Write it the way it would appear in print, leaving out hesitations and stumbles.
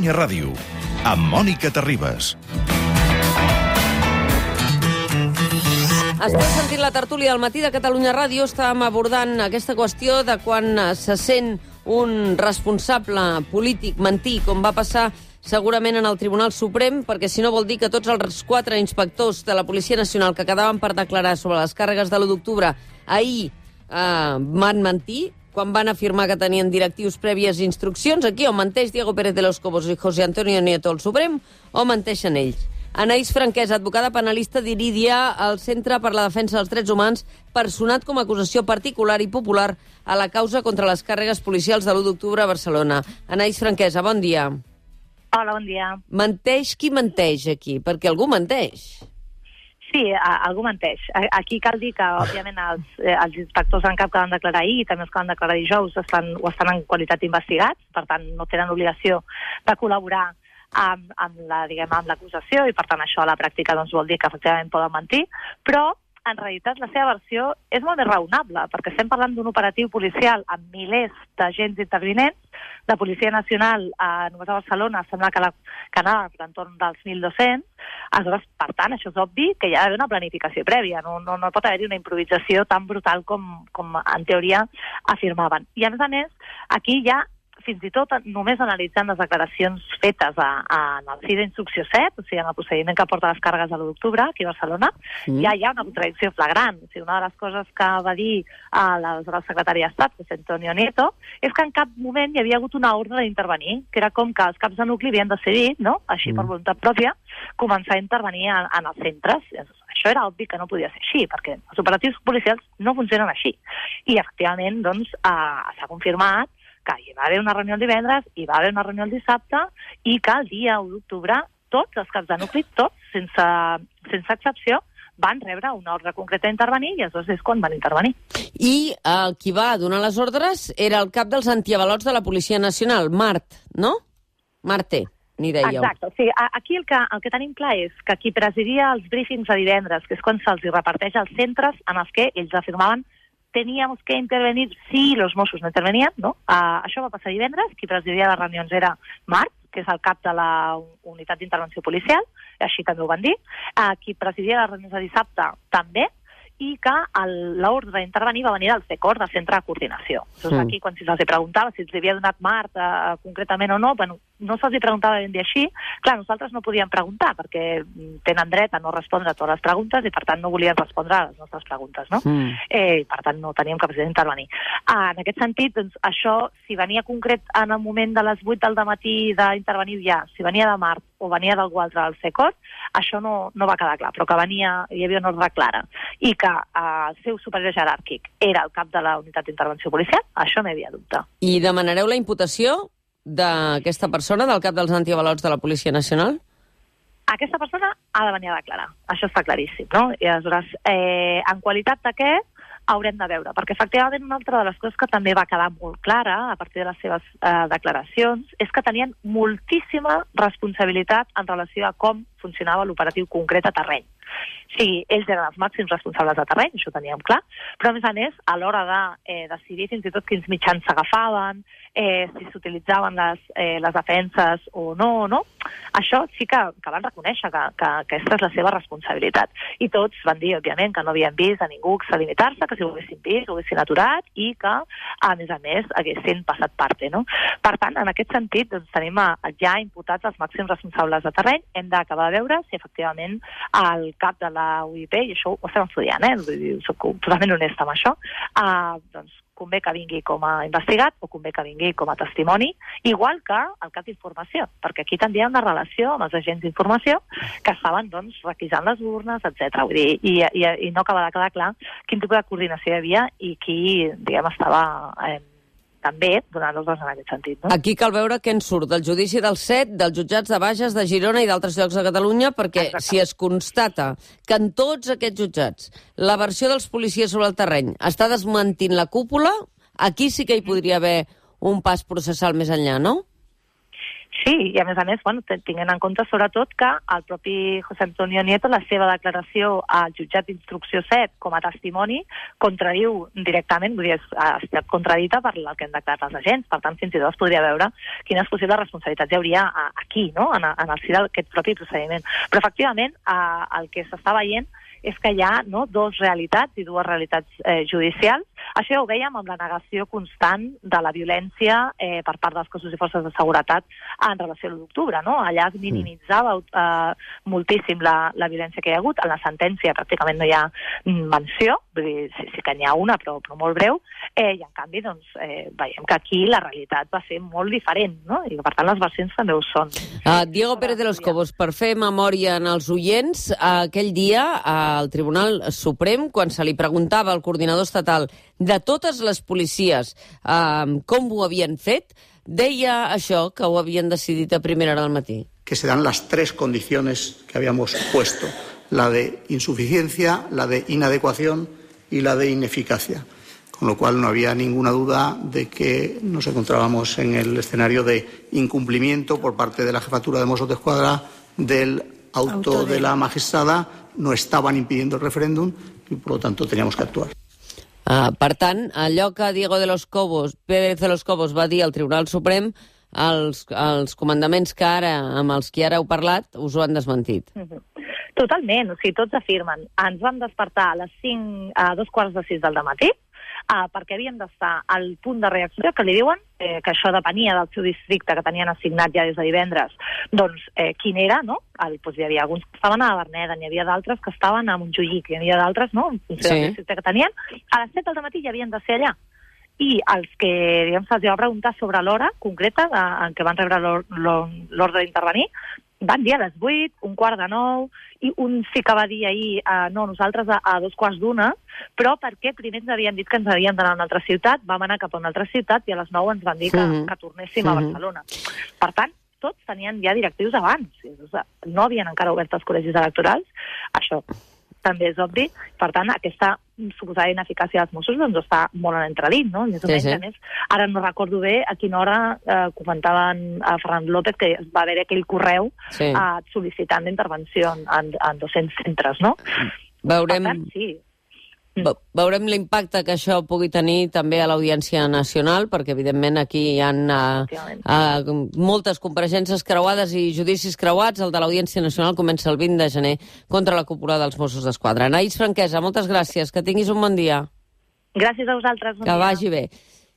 Catalunya Ràdio, amb Mònica Terribas. Esteu sentint la tertúlia del matí de Catalunya Ràdio. Estàvem abordant aquesta qüestió de quan se sent un responsable polític mentir, com va passar segurament en el Tribunal Suprem, perquè si no vol dir que tots els 4 inspectors de la Policia Nacional que quedaven per declarar sobre les càrregues de l'1 d'octubre ahir van mentir, quan van afirmar que tenien directius prèvies instruccions. Aquí o menteix Diego Pérez de los Cobos i José Antonio Nieto al Suprem, o menteixen ells. Anaïs Franquès, advocada penalista d'Iridia, al Centre per la Defensa dels Drets Humans, personat com a acusació particular i popular a la causa contra les càrregues policials de l'1 d'octubre a Barcelona. Anaïs Franquesa, bon dia. Hola, bon dia. Menteix qui menteix aquí? Perquè algú menteix. Sí, algú menteix. Aquí cal dir que, òbviament, els inspectors en cap que van declarar ahir i també els que van declarar dijous estan en qualitat d'investigats, per tant, no tenen obligació de col·laborar amb l'acusació i, per tant, això a la pràctica doncs, vol dir que efectivament poden mentir, però en realitat la seva versió és molt més raonable, perquè estem parlant d'un operatiu policial amb milers d'agents intervinents, de Policia Nacional només a Barcelona sembla que anava a l'entorn dels 1.200, aleshores, per tant, això és obvi que hi ha d'haver una planificació prèvia, no pot haver-hi una improvisació tan brutal com en teoria afirmaven. I a més, aquí hi ha fins i tot només analitzant les declaracions fetes en el CIE d'Instrucció 7, o sigui, en el procediment que porta les càrregues de l'1 d'octubre, aquí a Barcelona, ja hi ha una contradicció flagrant. O sigui, una de les coses que va dir l'aleshores secretari d'Estat, José Antonio Nieto, és que en cap moment hi havia hagut una ordre d'intervenir, que era com que els caps de nucli havien decidit, no?, així per voluntat pròpia, començar a intervenir en els centres. Això era obvi que no podia ser així, perquè els operatius policials no funcionen així. I, efectivament, doncs, s'ha confirmat que hi va haver una reunió el divendres, hi va haver una reunió el dissabte, i que el dia 1 d'octubre tots els caps de nucli, tots, sense excepció, van rebre una ordre concreta d'intervenir i aleshores és quan van intervenir. I qui va donar les ordres era el cap dels antiavalots de la Policia Nacional, Mart, no? Marte, n'hi dèieu. Exacte. O sigui, aquí el que tenim clar és que qui presidia els briefings de divendres, que és quan se'ls reparteix als centres en els que ells afirmaven teníamos que intervenir si los Mossos no intervenien, no? Això va passar divendres, qui presidia les reunions era Mart, que és el cap de la unitat d'intervenció policial, així també ho van dir, qui presidia les reunions de dissabte també, i que l'ordre d'intervenir va venir del CECOR, del Centre de Coordinació. Llavors aquí, quan se'ls preguntava si els havia donat Mart concretament o no, bueno, no se'ls preguntava ben bé així. Clar, nosaltres no podíem preguntar, perquè tenen dret a no respondre a totes les preguntes i, per tant, no volien respondre a les nostres preguntes, no? Per tant, no teníem capacitat d'intervenir. En aquest sentit, doncs, això, si venia concret en el moment de les 8 del dematí d'intervenir ja, si venia de Mart o venia d'algú altre del CECOR, això no va quedar clar, però que hi havia una ordre clara i que el seu superior jeràrquic era el cap de la unitat d'intervenció policial, això no hi havia dubte. I demanareu la imputació d'aquesta persona, del cap dels antiavalots de la Policia Nacional? Aquesta persona ha de venir a declarar, això està claríssim, no? I aleshores, en qualitat de què haurem de veure, perquè efectivament una altra de les coses que també va quedar molt clara a partir de les seves declaracions és que tenien moltíssima responsabilitat en relació a com funcionava l'operatiu concret a terreny. Sí, ells eren els màxims responsables de terreny, això ho teníem clar, però a més, a l'hora de decidir fins i tot quins mitjans s'agafaven, si s'utilitzaven les defenses o no, això sí que van reconèixer que aquesta és la seva responsabilitat. I tots van dir, òbviament, que no havien vist a ningú extralimitar-se, que si ho haguessin vist, ho haguessin aturat i que, a més, haguessin passat parte, no? Per tant, en aquest sentit, doncs, tenim ja imputats els màxims responsables de terreny. Hem d'acabar de veure si, efectivament, el cap de la UIP, i això ho estem estudiant, soc totalment honesta amb això, doncs convé que vingui com a investigat o convé que vingui com a testimoni, igual que el cap d'informació, perquè aquí també hi ha una relació amb els agents d'informació que estaven, doncs, requisant les urnes, etc. Vull dir, i no acaba de quedar clar quin tipus de coordinació hi havia i qui, diguem, estava també donant ordres en aquest sentit, no? Aquí cal veure què en surt del judici del 7, dels jutjats de Bages, de Girona i d'altres llocs de Catalunya, perquè si es constata que en tots aquests jutjats la versió dels policies sobre el terreny està desmentint la cúpula, aquí sí que hi podria haver un pas processal més enllà, no? Sí, i a més, tinguent en compte sobretot que el propi José Antonio Nieto, la seva declaració al jutjat d'instrucció 7 com a testimoni, contradiu directament, vull dir, ha estat contradita per el que han declarat els agents. Per tant, fins i tot es podria veure quines possibles responsabilitats hi hauria aquí, no?, en el si d'aquest propi procediment. Però, efectivament, el que s'està veient és que hi ha dues realitats i dues realitats judicials. Això ja ho vèiem amb la negació constant de la violència per part dels cossos i forces de seguretat en relació a l'1 d'octubre, no? Allà es minimitzava moltíssim la violència que hi ha hagut. En la sentència pràcticament no hi ha menció, vull dir, sí que n'hi ha una, però molt breu, i en canvi veiem que aquí la realitat va ser molt diferent, no? I per tant les versions també ho són. Diego Pérez de los Cobos, per fer memòria en els oients, aquell dia al Tribunal Suprem, quan se li preguntava al coordinador estatal de totes les policies com ho havien fet, deia això, que ho havien decidit a primera hora del matí. Que se dan las tres condiciones que habíamos puesto, la de insuficiencia, la de inadecuación y la de ineficacia. Con lo cual no había ninguna duda de que nos encontrábamos en el escenario de incumplimiento por parte de la Jefatura de Mossos d'Esquadra del auto de la magistrada. No estaban impidiendo el referéndum y por lo tanto teníamos que actuar. Per tant, allò que Diego Pérez de los Cobos va dir al Tribunal Suprem, els comandaments amb els que ara heu parlat us ho han desmentit. Totalment, o sigui, tots afirmen. Ens vam despertar a 2:45 del dematí, perquè havíem d'estar al punt de reacció, que li diuen, que això depenia del seu districte que tenien assignat ja des de divendres, doncs quin era, no? Hi havia alguns que estaven a Verneda, n'hi havia d'altres que estaven a Montjuïc, hi havia d'altres, no?, en funció del districte que tenien. A les 7 del matí ja havien de ser allà. I els que, diguem, se'ls va preguntar sobre l'hora concreta en què van rebre l'ordre d'intervenir, van dir a les 8, 8:45, i un sí que va dir ahir, no, nosaltres a 2:15, però perquè primer ens havien dit que ens havíem d'anar a una altra ciutat, vam anar cap a una altra ciutat i a les 9 ens van dir que tornéssim a Barcelona. Per tant, tots tenien ja directius abans. No havien encara obert els col·legis electorals. Això també és obvi. Per tant, aquesta suposada ineficàcia dels Mossos està molt en entredit, no? Més o menys, a més, ara no recordo bé a quina hora comentaven a Ferran López que va haver aquell correu sol·licitant d'intervenció en 200 centres, no? Veurem... Per tant, sí. Veurem l'impacte que això pugui tenir també a l'Audiència Nacional, perquè evidentment aquí hi ha moltes compareixences creuades i judicis creuats. El de l'Audiència Nacional comença el 20 de gener contra la cúpula dels Mossos d'Esquadra. Anaïs Franquesa, moltes gràcies, que tinguis un bon dia. Gràcies a vosaltres. Que vagi bé.